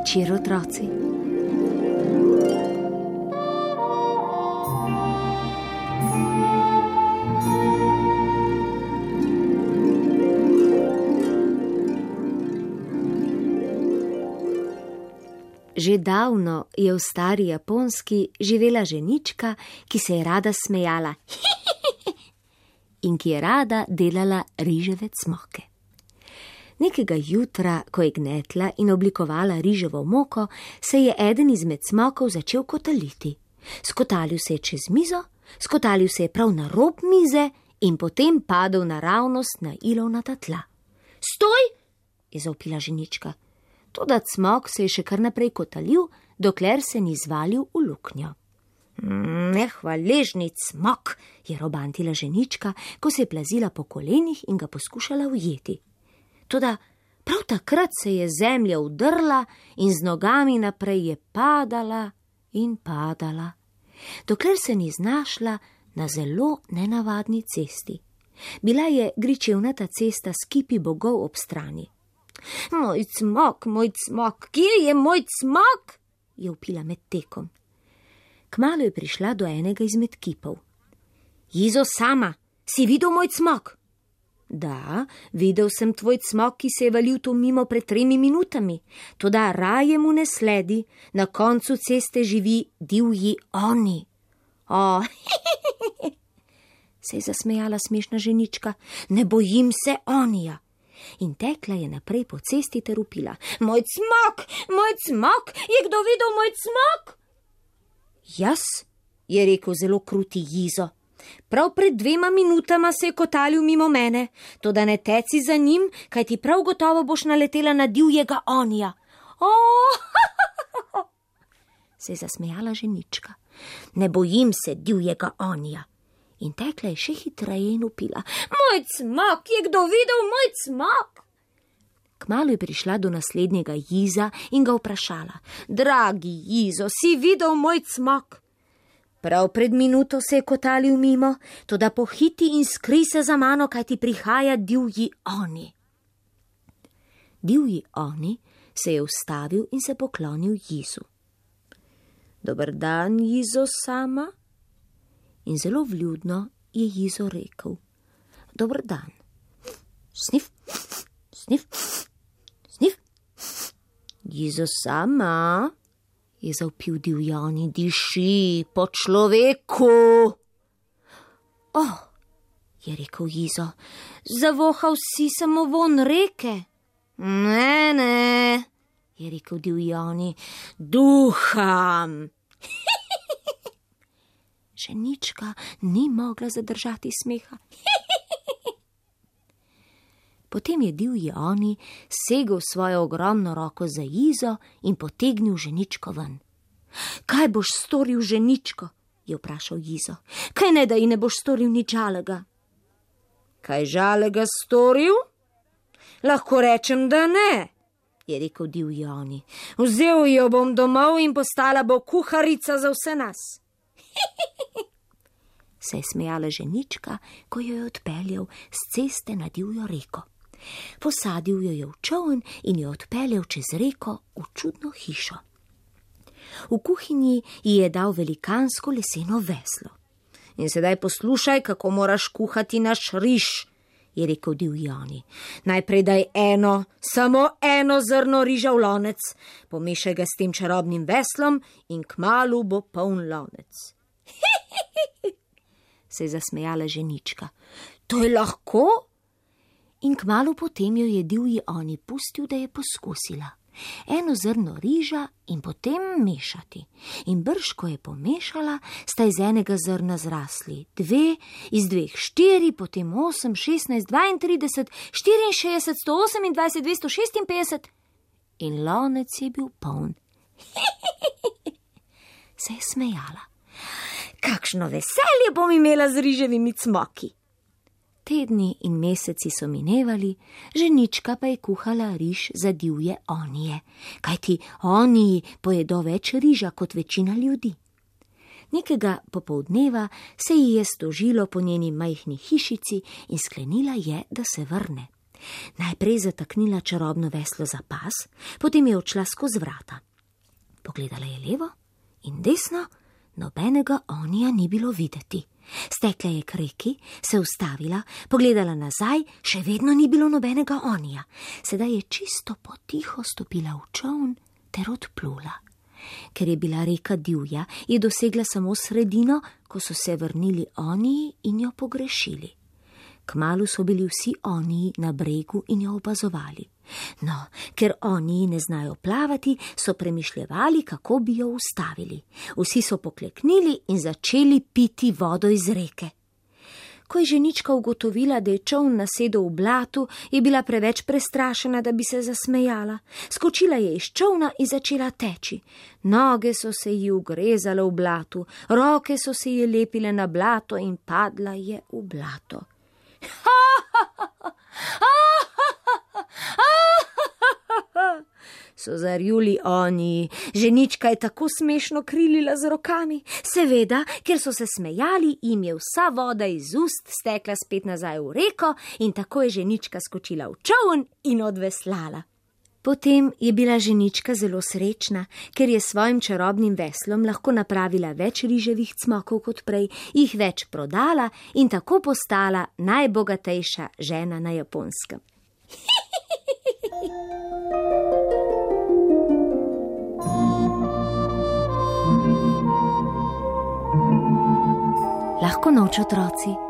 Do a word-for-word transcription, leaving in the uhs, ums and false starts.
večer, otroci. Že davno je v stari Japonski živela ženička, ki se je rada smejala in ki je rada delala riževe cmoke. Nekega jutra, ko je gnetla in oblikovala riževo moko, se je eden izmed cmokov začel kotaliti. Skotalil se je čez mizo, skotalil se je prav na rob mize in potem padel naravnost na ilovnata tla. Stoj! Je zavpila ženička. Toda cmok se je še kar naprej kotalil, dokler se ni zvalil v luknjo. Nehvaležni cmok, je robantila ženička, ko se je plazila po kolenih in ga poskušala ujeti. Toda prav takrat se je zemlja udrla in z nogami naprej je padala in padala, dokler se ni znašla na zelo nenavadni cesti. Bila je gričevnata cesta s kipi bogov ob strani. Moj cmok, moj cmok, kje je moj cmok? Je vpila med tekom. Kmalu je prišla do enega izmed kipov. Jizo sama, si videl moj cmok? Da, videl sem tvoj cmok, ki se je valil tu mimo pred tremi minutami. Toda raje mu ne sledi, na koncu ceste živi divji oni. O, se je zasmejala smešna ženička, ne bojim se onija. In tekla je naprej po cesti ter vpila. Moj cmok, moj cmok, je kdo videl moj cmok? Jaz, je rekel zelo kruti Jizo. Prav pred dvema minutama se je kotalil mimo mene, toda ne teci za njim, kaj ti prav gotovo boš naletela na divjega onija. Oh! Se je zasmejala ženička. Ne bojim se divjega onija. In tekla je še hitreje in vpila. Moj cmok, je kdo videl moj cmok? Kmalu je prišla do naslednjega Jiza in ga vprašala. Dragi Jizo, si videl moj cmok? Prav pred minuto se je kotalil mimo, toda pohiti in skri se za mano, kaj ti prihaja divji oni. Divji oni se je ustavil in se poklonil Jizu. Dober dan, Jizo sama. In zelo vljudno je Jizo rekel. Dober dan. Snif, snif, snif. Jizo sama, je zavpil divji oni, diši po človeku. Oh, je rekel Jizo, zavohal si samo von reke. Ne, ne, je rekel divji oni, duham. Ženička ni mogla zadržati smeha. Potem je divji oni segel svojo ogromno roko za Jizo in potegnil ženičko ven. Kaj boš storil, ženičko? Je vprašal Jizo. Kaj ne, da ji ne boš storil nič žalega? Kaj žalega storil? Lahko rečem, da ne, je rekel divji oni. Vzel jo bom domov in postala bo kuharica za vse nas. Se je smejala ženička, ko jo je odpeljal s ceste na divjo reko. Posadil jo je v čoln in jo odpeljal čez reko v čudno hišo. V kuhinji ji je dal velikansko leseno veslo. In sedaj poslušaj, kako moraš kuhati naš riž, je rekel divji oni. Najprej daj eno, samo eno zrno riža v lonec, pomešaj ga s tem čarobnim veslom in kmalu bo poln lonec. Se je zasmejala ženička. To je lahko? In kmalu potem jo je divji oni pustil, da je poskusila. Eno zrno riža in potem mešati. In brž, ko je pomešala, sta iz enega zrna zrasli dve, iz dveh štiri, potem osem, šestnajst, dvaintrideset, štiriinšestdeset, sto osemindvajset, dvesto šestinpetdeset in lonec je bil poln. Se je smejala. Kakšno veselje bom imela z riževimi cmoki. Tedni in meseci so minevali, ženička pa je kuhala riž za divje onije, kajti oniji pojedo več riža kot večina ljudi. Nekega popoldneva se ji je stožilo po njeni majhni hišici in sklenila je, da se vrne. Najprej zataknila čarobno veslo za pas, potem je odšla skozi vrata. Pogledala je levo in desno, nobenega Onija ni bilo videti. Stekla je k reki, se ustavila, pogledala nazaj, še vedno ni bilo nobenega Onija. Sedaj je čisto potiho stopila v čoln ter odplula. Ker je bila reka divja, je dosegla samo sredino, ko so se vrnili Oniji in jo pogrešili. Kmalu so bili vsi Oniji na bregu in jo opazovali. No, ker Oniji ne znajo plavati, so premišljevali, kako bi jo ustavili. Vsi so pokleknili in začeli piti vodo iz reke. Ko je ženička ugotovila, da je čoln nasedel v blatu, je bila preveč prestrašena, da bi se zasmejala. Skočila je iz čolna in začela teči. Noge so se ji ugrezale v blatu, roke so se ji lepile na blato in padla je v blato. Ha, ha, ha, ha, ha, ha, ha, ha, so zarjuli Oniji. Ženička je tako smešno krilila z rokami. Seveda, ker so se smejali, jim je vsa voda iz ust stekla spet nazaj v reko in tako je ženička skočila v čoln in odveslala. Potem je bila ženička zelo srečna, ker je s svojim čarobnim veslom lahko napravila več riževih cmokov kot prej, jih več prodala in tako postala najbogatejša žena na Japonskem. Lahko noč, otroci.